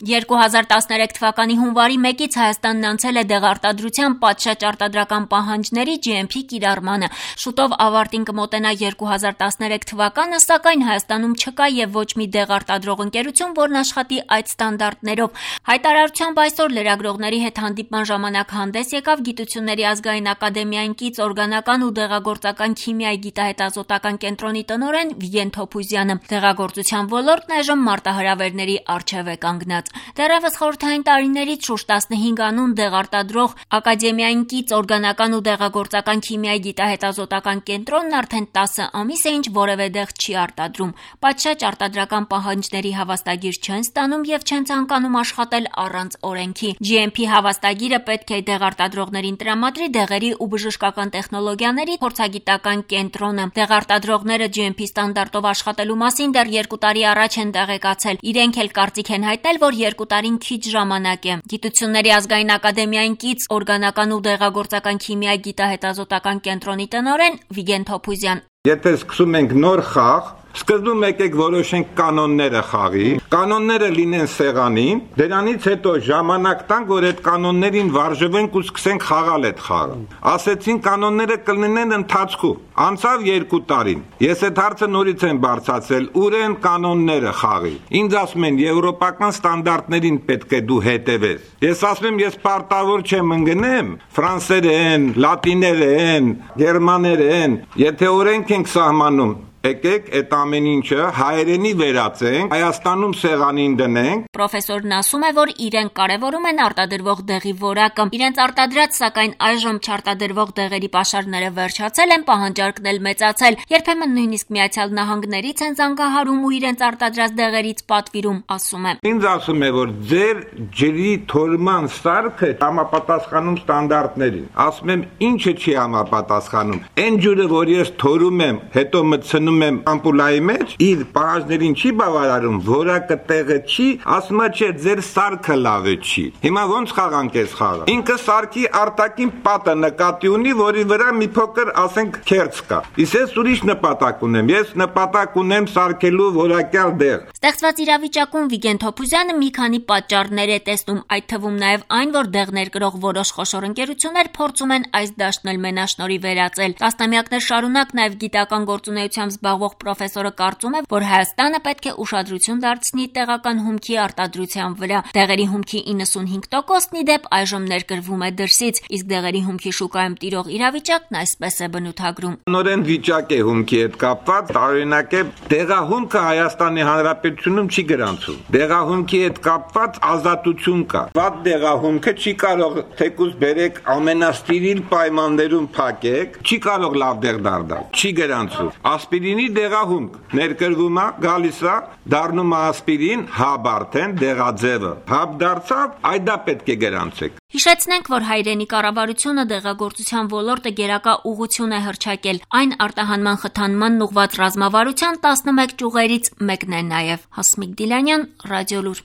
2013 թվականի հունվարի 1-ից Հայաստանն անցել է դեղարտադրության պատշաճ արտադրական պահանջների GMP կիրառմանը։ Շուտով ավարտին կմոտենա 2013 թվականը, սակայն Հայաստանում չկա եւ ոչ մի դեղարտադրող ընկերություն, որն աշխատի այդ ստանդարտներով։ Հայտարարությամբ այսօր լրագրողների հետ հանդիպման ժամանակ հանդես եկավ Գիտությունների ազգային ակադեմիային կից օրգանական ու դեղագործական քիմիայի գիտահետազոտական կենտրոնի տնօրեն Վիգեն Թոփուզյանը։ Դեղագործության ոլորտն այժմ մարտահրավերների առջև է կանգնած։ Դեռևս խորհրդային տարիներից շուրջ 15 անուն դեղարտադրող ակադեմիային կից օրգանական ու դեղագործական քիմիայի գիտահետազոտական կենտրոնն արդեն 10 ամիս է, ինչ որևէ դեղ չի արտադրում։ Պատշաճ արտադրական պահանջների հավաստագիր չեն ստանում եւ չեն ցանկանում աշխատել առանց օրենքի։ GMP հավաստագիրը պետք է դեղարտադրողներին տրամադրի դեղերի ու բժշկական տեխնոլոգիաների փորձագիտական կենտրոնը։ Դեղարտադրողները GMP ստանդարտով աշխատելու մասին դեռ 2 տարի առաջ են տեղեկացել։ Իրենք էլ կարծիք են հայտնել, որ 2 տարին քիչ ժամանակ է։ Գիտությունների ազգային ակադեմիային կից օրգանական ու դեղագործական քիմիայի գիտահետազոտական կենտրոնի տնօրեն Վիգեն Թոփուզյան։ Եթե սկսում ենք նոր խաղ, սկզբում եկեք որոշենք կանոնները խաղի, կանոնները լինեն սեղանին, դրանից հետո ժամանակ տանք, որ այդ կանոններին վարժվենք ու սկսենք խաղալ այդ խաղը։ Ասեցին կանոնները կլինեն ընթացքում։ Անցավ 2 տարին։ Ես այդ հարցը նորից եմ բարձրացրել, ուր են կանոնները խաղի։ Ինձ ասում են եվրոպական ստանդարտներին պետք է դու հետևես։ Ես ասում եմ, ես պարտավոր չեմ ընկնեմ ֆրանսերեն, լատիներեն, գերմաներեն, եթե օրենք ենք սահմանում, եկեք այդ ամեն ինչը հայերենի վերածենք, Հայաստանում սեղանին դնենք։ Պրոֆեսորն ասում է, որ իրենք կարևորում են արտադրվող դեղի որակը։ Իրենց արտադրած, սակայն այժմ չարտադրվող դեղերի պաշարները վերջացել են, պահանջարկն էլ մեծացել։ Երբեմն նույնիսկ Միացյալ Նահանգներից են զանգահարում ու իրենց արտադրած դեղերից պատվիրում, ասում է։ Ինձ ասում է, որ ձեր ջրի թորման սարքը համապատասխանում ստանդարտներին։ Ասում եմ, ինչը չի համապատասխանում։ Այն ջուրը, որ ես թորում եմ, հետո մտցնում եմ ամպուլայի մեջ, իր պահանջներին չի բավարարում, որակը տեղը չի, ասում է չէ, ձեր սարքը լավ չի։ Հիմա ոնց խաղանք այս խաղը։ Ինքը սարքի արտաքին պատը նկատի ունի, որի վրա մի փոքր, ասենք, քերց կա։ Իսկ ես ուրիշ նպատակ ունեմ։ Ես նպատակ ունեմ սարքելու որակյալ դեղ։ Ստեղծված իրավիճակում Վիգեն Թոփուզյանը մի քանի պատճառներ է տեսնում, այդ թվում նաև այն, որ դեղ ներկրող որոշ խոշոր ընկերություններ փորձում են այս դաշտն էլ մենաշնորհի վերածել։ Տասնամյակներ շարունակ նաև գիտական գործունեությամբ զբաղվող պրոֆեսորը կարծում է, որ Հայաստանը պետք է ուշադրություն դարձնի տեղական հումքի արտադրության վրա։ Դեղերի հումքի 95%-ն ի դեպ այժմ ներկրվում է դրսից, իսկ դեղերի հումքի շուկայում տիրող իրավիճակն այսպես է բնութագրում։ Նորեն վիճակ է հումքի հետ կապված, տարօրինակ է, դեղահումքը Հայաստանի Հանրապետությունում չի գրանցում։ Դեղահումքի հետ կապված ազատություն կա։ Վատ դեղահումքը չի կարող թեկուզ բերեք ամենաստիրիլ պայմաններում փակեք, չի կարող լավ դեղ դառնալ։ Չի գրանցում։ Ասպիրինի դեղահումք ներկրվում է, գալիս է, դառնում է ասպիրին, հաբ արդեն դեղաձևը։ Հաբ դարձավ, այդա պետք է գրանցեք։ Հիշեցնենք, որ հայրենի կառավարությունը դեղագործության ոլորտը գերակա ուղղություն է հռչակել։ Այն արտահանման խթանման ուղղված ռազմավարության 11 ճյուղերից մեկն է նաև։ Հասմիկ Դիլանյան, Ռադիոլուր։